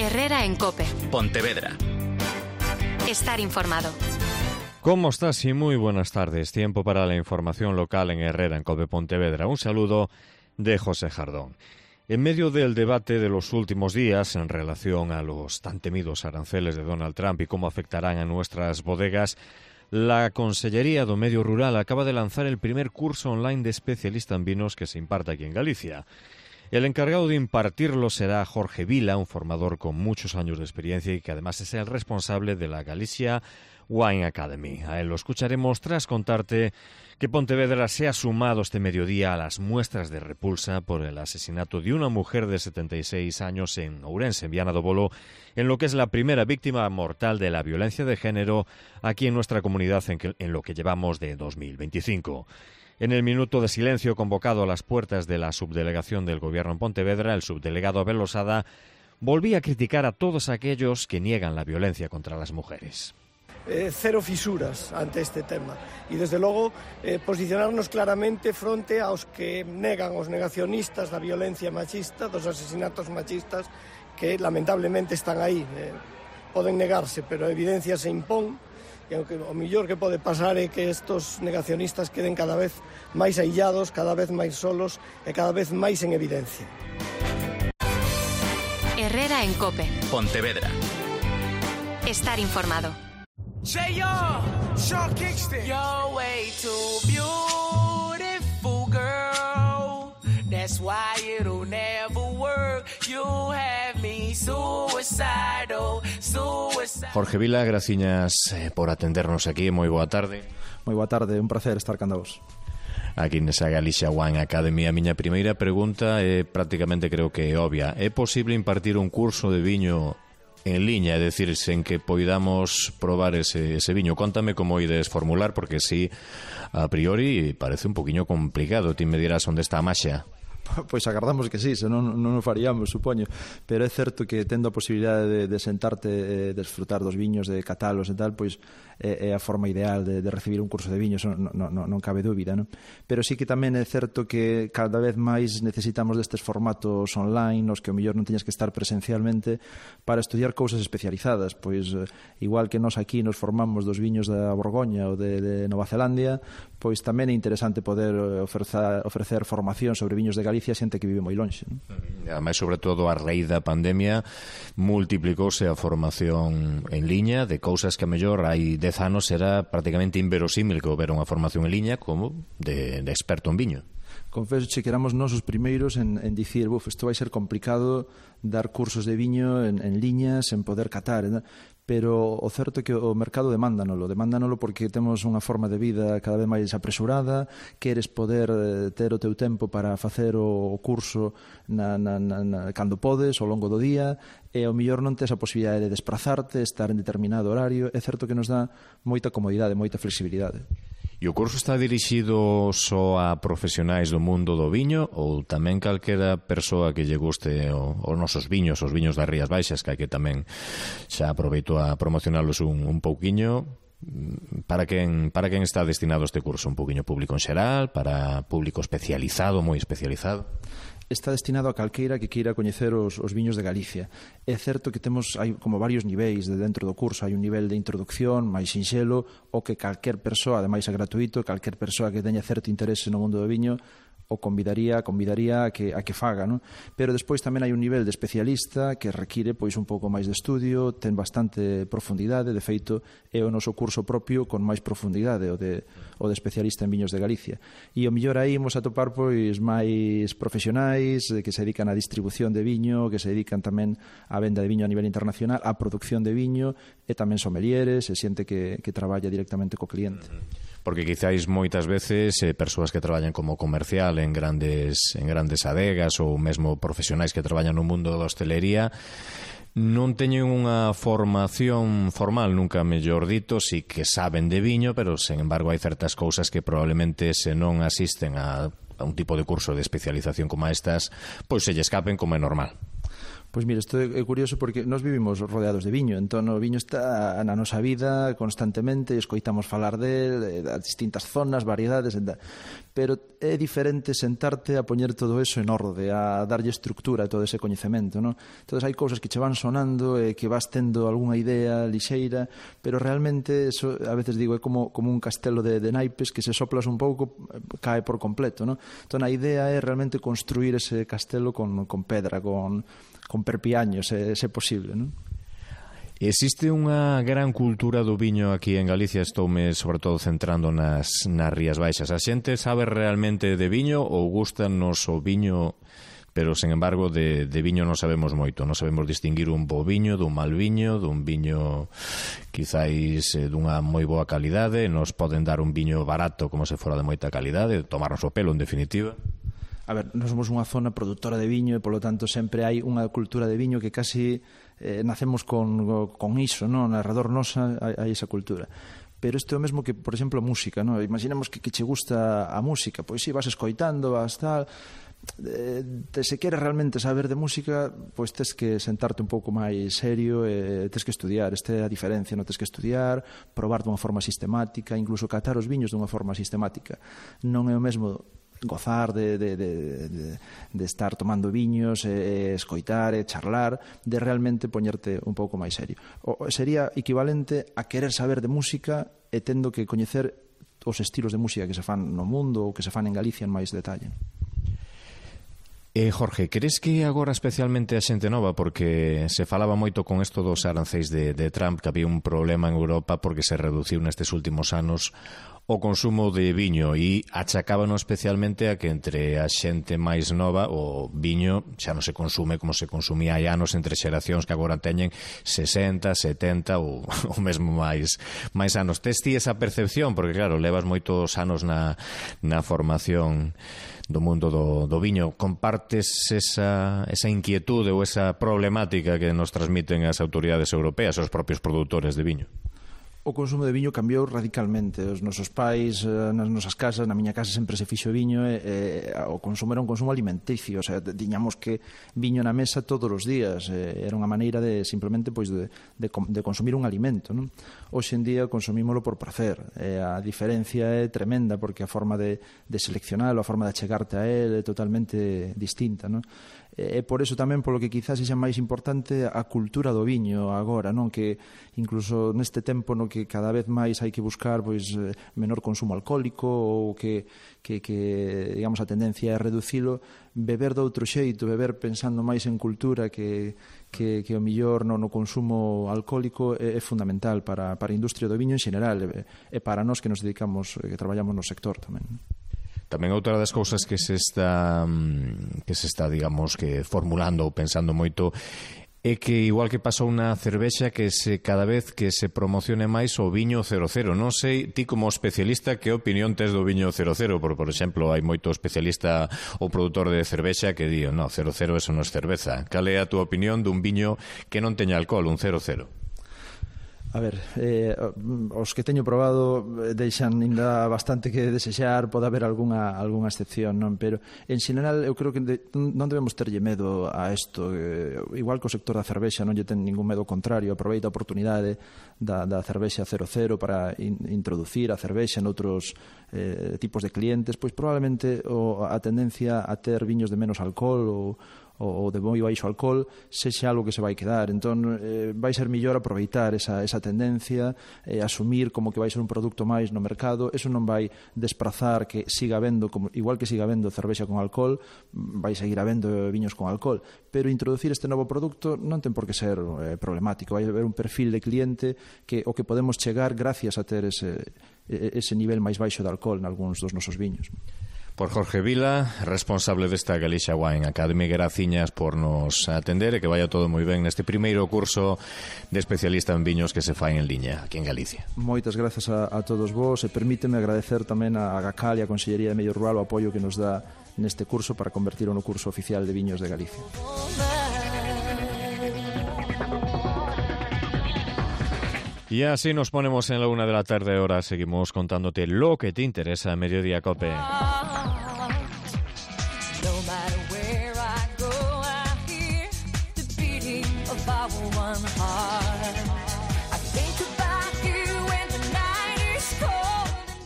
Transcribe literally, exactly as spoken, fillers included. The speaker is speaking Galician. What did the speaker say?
Herrera en COPE. Pontevedra. Estar informado. ¿Cómo estás? Y muy buenas tardes. Tiempo para la información local en Herrera en COPE Pontevedra. Un saludo de José Jardón. En medio del debate de los últimos días en relación a los tan temidos aranceles de Donald Trump y cómo afectarán a nuestras bodegas, la Consellería do Medio Rural acaba de lanzar el primer curso online de especialista en vinos que se imparte aquí en Galicia. El encargado de impartirlo será Jorge Vila, un formador con muchos años de experiencia y que además es el responsable de la Galicia Wine Academy. A él lo escucharemos tras contarte que Pontevedra se ha sumado este mediodía a las muestras de repulsa por el asesinato de una mujer de setenta y seis años en Ourense, en Viana do Bolo, en lo que es la primera víctima mortal de la violencia de género aquí en nuestra comunidad en, que, en lo que llevamos de dos mil veinticinco. En el minuto de silencio convocado a las puertas de la subdelegación del Gobierno en Pontevedra, el subdelegado Abel Losada volvía a criticar a todos aquellos que niegan la violencia contra las mujeres. Eh, cero fisuras ante este tema e desde logo eh, posicionarnos claramente fronte aos que negan, os negacionistas da violencia machista, dos asesinatos machistas que lamentablemente están aí. Eh, poden negarse, pero a evidencia se impón. E o, que, o mellor que pode pasar é que estos negacionistas queden cada vez máis aillados, cada vez máis solos e cada vez máis en evidencia. Herrera en COPE. Pontevedra. Estar informado. Say yo, Sean Kingston. You're way too beautiful, girl. That's why it'll never work. You have me suicidal, suicidal. Jorge Vila, graciñas eh, por atendernos aquí. Moi boa tarde. Moi boa tarde, un placer estar canda vos. Aquí nesa Galicia Wine Academy. A miña primeira pregunta é prácticamente creo que é obvia. É posible impartir un curso de viño en liña, é dicir, sen que poidamos probar ese, ese viño? Contame como ides formular, porque si a priori parece un poquinho complicado. Ti me dirás onde está a maxia. Pois agardamos que sí, senón non o faríamos, supoño. Pero é certo que tendo a posibilidade de, de sentarte e desfrutar dos viños, de catalos e tal, pois é, é a forma ideal de, de recibir un curso de viños, non, non, non cabe dúbida, non? Pero sí que tamén é certo que cada vez máis necesitamos destes formatos online, nos que o mellor non teñas que estar presencialmente para estudiar cousas especializadas. Pois igual que nós aquí nos formamos dos viños da Borgoña ou de, de Nova Zelandia, pois tamén é interesante poder ofrecer, ofrecer formación sobre viños de Galicia a xente que vive moi lonxe, non? Ademais, sobre todo a raíz da pandemia, multiplicouse a formación en liña de cousas que a mellor hai dez anos era prácticamente inverosímil que houbera unha formación en liña como de, de experto en viño. Confeso che que éramos nós os primeiros en, en dicir, buf, isto vai ser complicado dar cursos de viño en, en liña sen poder catar, ¿no? Pero o certo é que o mercado demándanolo, demándanolo porque temos unha forma de vida cada vez máis apresurada, queres poder ter o teu tempo para facer o curso na, na, na, cando podes, ao longo do día, e ao mellor non tes a posibilidade de desplazarte, estar en determinado horario. É certo que nos dá moita comodidade, moita flexibilidade. E o curso está dirixido só a profesionais do mundo do viño ou tamén calquera persoa que lle guste o, os nosos viños, os viños das Rías Baixas, que hai que tamén xa aproveito a promocionalos un, un pouquiño? Para quen, para quen está destinado este curso? Un pouquiño público en xeral? Para público especializado, moi especializado? Está destinado a calqueira que queira coñecer os, os viños de Galicia. É certo que temos hai como varios niveis de dentro do curso. Hai un nivel de introducción máis sinxelo, o que calquer persoa, ademais é gratuito, calquer persoa que teña certo interese no mundo do viño o convidaría, convidaría a que, a que faga, non? Pero despois tamén hai un nivel de especialista que require pois un pouco máis de estudio, ten bastante profundidade, de feito é o noso curso propio con máis profundidade, o de, o de especialista en viños de Galicia. E o mellor aí imos a topar pois máis profesionais que se dedican á distribución de viño, que se dedican tamén á venda de viño a nivel internacional, á produción de viño, e tamén somelieres, e xente que, que traballa directamente co cliente. Porque quizáis moitas veces eh, persoas que traballan como comercial en grandes en grandes adegas ou mesmo profesionais que traballan no mundo da hostelería non teñen unha formación formal, nunca mellor dito, si que saben de viño, pero sen embargo hai certas cousas que probablemente se non asisten a, a un tipo de curso de especialización como estas, pois se lle escapen como é normal. Pois mira, isto é curioso porque nós vivimos rodeados de viño, entón o viño está na nosa vida constantemente, escoitamos falar de, das distintas zonas, variedades, pero é diferente sentarte a poñer todo eso en orde, a darlle estructura a todo ese coñecemento, non? Entón hai cousas que che van sonando e que vas tendo algunha idea lixeira, pero realmente eso, a veces digo, é como, como un castelo de, de naipes que se soplas un pouco cae por completo, non? Entón a idea é realmente construir ese castelo con, con pedra, con, con perpiaños, se, se posible, non? Existe unha gran cultura do viño aquí en Galicia, estoume sobre todo centrando nas, nas Rías Baixas. A xente sabe realmente de viño ou gustanos o viño, pero, sen embargo, de, de viño non sabemos moito. Non sabemos distinguir un bo viño dun mal viño, dun viño quizáis dunha moi boa calidade. Nos poden dar un viño barato como se fora de moita calidade, tomarnos o pelo, en definitiva. A ver, nós somos unha zona produtora de viño e, polo tanto, sempre hai unha cultura de viño que casi eh, nacemos con, con iso, non? Alrededor nosa hai, hai esa cultura. Pero isto é o mesmo que, por exemplo, a música, non? Imaginemos que, que che gusta a música, pois si, vas escoitando, vas tal... Eh, te, se queres realmente saber de música, pois tes que sentarte un pouco máis serio e tes que estudiar. Esta é a diferencia, non? Tes que estudiar, probar dunha forma sistemática, incluso catar os viños dunha forma sistemática. Non é o mesmo gozar de, de, de, de, de estar tomando viños, e, e escoitar e charlar, de realmente poñerte un pouco máis serio. O, sería equivalente a querer saber de música e tendo que coñecer os estilos de música que se fan no mundo ou que se fan en Galicia en máis detalle. Eh, Jorge, crees que agora especialmente a xente nova, porque se falaba moito con isto dos aranceis de, de Trump, que había un problema en Europa porque se reduciu nestes últimos anos o consumo de viño e achacábano especialmente a que entre a xente máis nova o viño xa non se consume como se consumía hai anos entre xeracións que agora teñen sesenta, setenta ou, ou mesmo máis máis anos. Tes ti esa percepción? Porque claro, levas moitos anos na, na formación do mundo do, do viño. Compartes esa, esa inquietude ou esa problemática que nos transmiten as autoridades europeas, os propios produtores de viño? O consumo de viño cambiou radicalmente. Os nosos pais, nas nosas casas, na miña casa sempre se fixo viño e, e o consumo era un consumo alimenticio, o sea, tiñamos que viño na mesa todos os días, e, era unha maneira de simplemente pois de, de, de consumir un alimento, non? Hoxe en día consumímolo por placer, e a diferencia é tremenda porque a forma de, de seleccionar, a forma de achegarte a él é totalmente distinta, non? E por eso tamén polo que quizás sexa máis importante a cultura do viño agora, non? Que incluso neste tempo no que cada vez máis hai que buscar pois menor consumo alcohólico ou que, que, que digamos a tendencia é reducilo, beber de outro xeito, beber pensando máis en cultura que, que, que o millor no, no consumo alcohólico é, é fundamental para, para a industria do viño en xeral e, e para nós que nos dedicamos, que traballamos no sector tamén. Tamén outra das cousas que se está que se está, digamos, que formulando ou pensando moito é que igual que pasou na cervexa que se cada vez que se promocione máis o viño cero cero. Non sei, ti como especialista, que opinión tes do viño cero cero? Por, por exemplo, hai moito especialista ou produtor de cervexa que di, no, cero cero eso non é cerveza. Cal é a túa opinión dun viño que non teña alcohol, un cero cero? A ver, eh, os que teño probado deixan ainda bastante que desexar, pode haber algunha, algunha excepción, non? Pero en xeral eu creo que de, non debemos terlle medo a isto. Eh, igual que o sector da cervexa non lle ten ningún medo, contrario, aproveita a oportunidade da, da cervexa cero cero para in, introducir a cervexa noutros eh, tipos de clientes, pois probablemente o, a tendencia a ter viños de menos alcohol ou ou de moi baixo alcohol sexa algo que se vai quedar. Entón, eh, vai ser mellor aproveitar esa, esa tendencia, eh, asumir como que vai ser un produto máis no mercado. Eso non vai desprazar que siga habendo, como, igual que siga habendo cervexa con alcohol, vai seguir habendo viños con alcohol, pero introducir este novo produto non ten por que ser eh, problemático. Vai haber un perfil de cliente que o que podemos chegar gracias a ter ese, ese nivel máis baixo de alcohol nalgúns dos nosos viños. Por Jorge Vila, responsable desta Galicia Wine Academy, graciñas por nos atender e que vaya todo moi ben neste primeiro curso de especialista en viños que se fai en liña aquí en Galicia. Moitas grazas a, a todos vos e permíteme agradecer tamén a GACAL e a Consellería de Medio Rural o apoio que nos dá neste curso para convertirlo no curso oficial de viños de Galicia. Y así nos ponemos en la una de la tarde. Ahora seguimos contándote lo que te interesa en Mediodía Cope. No matter where I go, I hear the beating of our one heart.